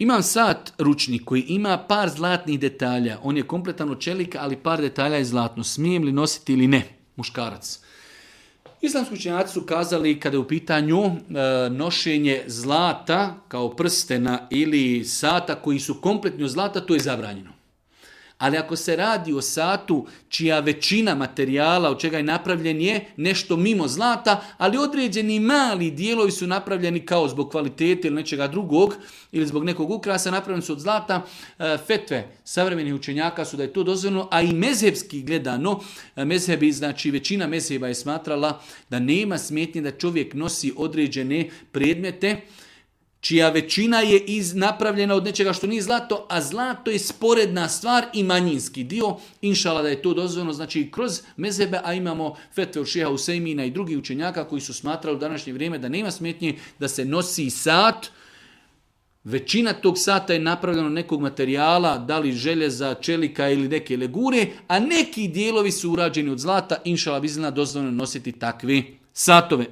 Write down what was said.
Imam sat ručni koji ima par zlatnih detalja. On je kompletan od čelika, ali par detalja je zlatno. Smijem li nositi ili ne? Muškarac. Islamski učenjaci su kazali kada je u pitanju nošenje zlata kao prstena ili sata koji su kompletni od zlata, to je zabranjeno. Ali ako se radi o satu čija većina materijala od čega je napravljen je nešto mimo zlata, ali određeni mali dijelovi su napravljeni kao zbog kvalitete ili nečega drugog ili zbog nekog ukrasa, napravljeni su od zlata, fetve savremenih učenjaka su da je to dozvoljeno, a i mezhebski gledano, mezhebi, znači većina mezheba je smatrala da nema smetnje da čovjek nosi određene predmete čija većina je napravljena od nečega što nije zlato, a zlato je sporedna stvar i manjinski dio. Inšala da je to dozvoljeno, znači kroz mezhebe, a imamo fetve od šeha Usejmina i drugih učenjaka koji su smatrali u današnje vrijeme da nema smetnje da se nosi sat. Većina tog sata je napravljena od nekog materijala, da li željeza, čelika ili neke legure, a neki dijelovi su urađeni od zlata. Inšala bi dozvoljeno nositi takve satove.